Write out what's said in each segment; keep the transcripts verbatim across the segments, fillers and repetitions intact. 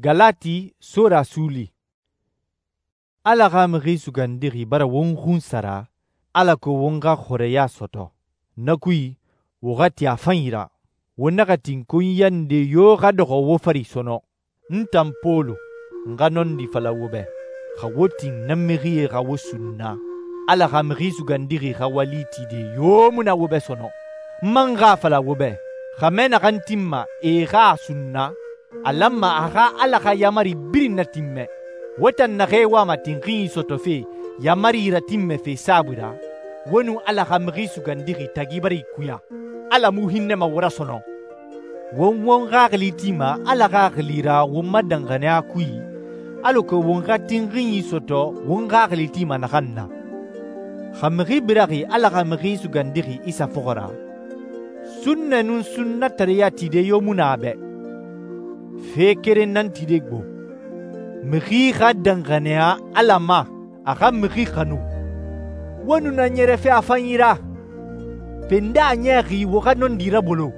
Galati sura suuli. Ala xa Mixi Sugandixi bara won xunsara alako won xa xɔrɛya sɔtɔ. Na kui, wo xa ti a fanyi ra. Wo naxa tin konyiya nde yo xa dɔxɔ wo fari sɔnɔ. N tan Pɔlu, n xa nɔndi fala wo bɛ, xa wo tin na mixie xa wo sunna, Ala xa Mixi Sugandixi xa wali tide yo mu na wo bɛ sɔnɔ. N man xa a fala wo bɛ, xɛmɛ naxan tinma e xa a sunna, a lanma a xa Ala xa yaamari birin natinmɛ. Wo tan naxee wama tinxinyi sɔtɔfe yaamari ratinmɛfe saabui ra, wo nun Ala xa Mixi Sugandixi tagi bara ikuya. Ala mu hinnɛma wo ra sɔnɔ. Won won xaxili tima Ala xaxili ra won ma danxaniya kui, alako won xa tinxinyi sɔtɔ won xaxili tima naxan na. Xa mixi biraxi Ala xa Mixi Sugandixi Isa fɔxɔ ra, sunnɛ nun sunnatareya tide yo mu na a bɛ. Fe keren nan tide gbo. Mixi xa danxaniya Ala ma, a xa mixi xanu. Wo nu na ɲɛrɛfe a fanyi ra. Fe nde a ɲɛxi wo xa nɔndi rabolo.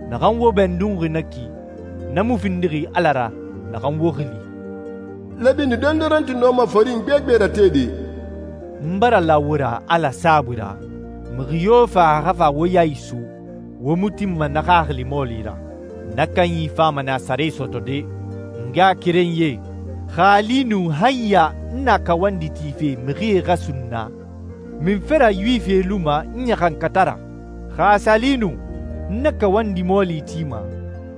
Naxan wo bɛndunxi na ki, na mu findixi Ala ra naxan wo xili. Labini dondoronti nɔma forin gbegbe ratede. N bara la wo ra Ala saabui ra, mixi yo fa a xa fa wo ya isu, wo mu tinma na xaxili mɔɔli ra. Na kanyi fama nɛ a sare sɔtɔde. N ngaxakerenyie, xa a li nu han ya n na kawandi tife mixie xa sunna, min fera Yuwifie luma n ɲaxankata ra. Xa a sa li nu n na kawandi mɔɔli tima,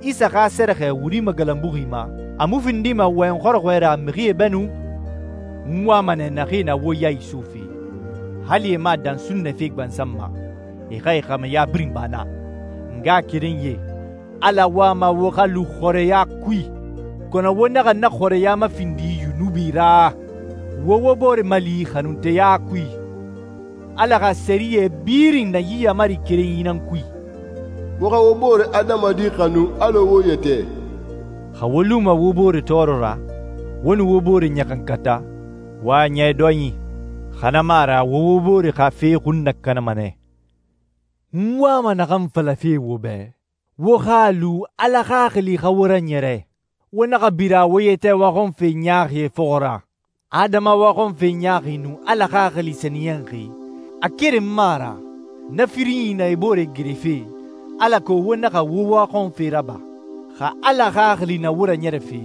Isa xa sɛrɛxɛ wuri magalanbuxi ma, a mu findima wɔyɛn xɔrɔxɔɛ ra mixie bɛnu? N wama nɛ naxee na wo ya isufe, hali e ma dan sunnɛfe gbansan ma, e xa e xɛmɛya birin ba na. N ngaxakerenyie, Ala wama wo xa lu xɔrɛya kui, kɔnɔ wo naxa na xɔrɛya mafindi yunubi ra. Wo wo bore mali xanunteya kui. Ala xa sɛriyɛ birin na yi yamari kerenyi nan kui. Wo xa wo bore adamadi xanu alɔ wo yɛtɛ. Xa wo luma wo bore tɔɔrɔ ra, wo nu wo bore ɲaxankata, wa ɲɛ dɔnyi, xana ma ra wo wo bore xa fe xun nakanama nɛ. N wama naxan falafe wo bɛ, wo xa lu Ala xaxili xa wo raɲɛrɛ. Wo naxa bira wo yɛtɛ waxɔnfe ɲaaxie fɔxɔ ra. Adama waxɔnfe ɲaaxi nun Ala xaxili sɛniyɛnxi, a keren ma ra, na firinyi na e bore gerefe, alako wo naxa wo waxɔnfe raba. Xa Ala xaxili na wo raɲɛrɛfe,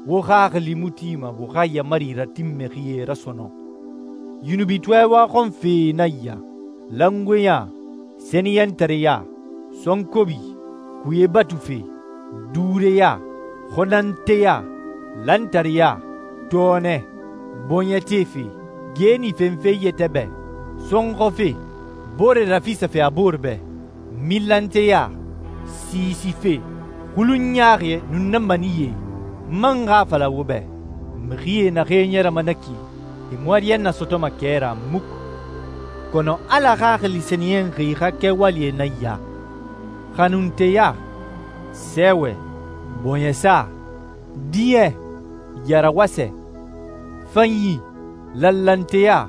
wo xaxili mu tima wo xa yamari ratinmɛxie rasɔnɔ. Yunubitɔɛ waxɔnfe na ya, langoeya, sɛniyɛntareya, sɔnkobi, kuye batufe, duureya, xɔnanteya, lantareya, tɔɔnɛ, bɔɲɛtefe, geeni fenfe yɛtɛ bɛ, sɔnxɔfe, bore rafisafe a bore bɛ, milanteya, siisife, xulunɲaaxie nun na maniye. N man xa fala wo bɛ, mixie naxee ɲɛrɛma na ki, e mɔriya na sɔtɔma kɛ ra muk. Kɔnɔ Ala xaxili sɛniyɛnxi xa kɛwalie na ya: xanunteya, sɛɛwɛ, bɔɲɛsa, diɲɛ, yarawasɛ, fanyi, lallanteya,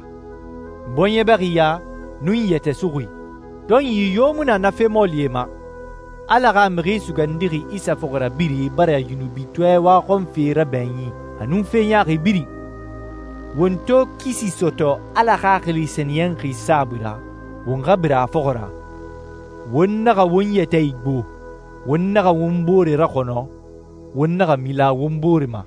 bɔɲɛbɛxiya, nun yɛtɛsuxui. Tɔnyi yo mu na na fe mɔɔlie ma. Ala xa Mixi Sugandixi Isa fɔxɔra biri bara yunubitɔɛ waxɔnfe rabɛnyi a nun fe ɲaaxi birin. Won to kisi sɔtɔ Ala xaxili sɛniyɛnxi saabui ra, won xa bira a fɔxɔ ra. Won naxa won yɛtɛ igbo, won naxa won bore raxɔnɔ, won naxa mila won bore ma.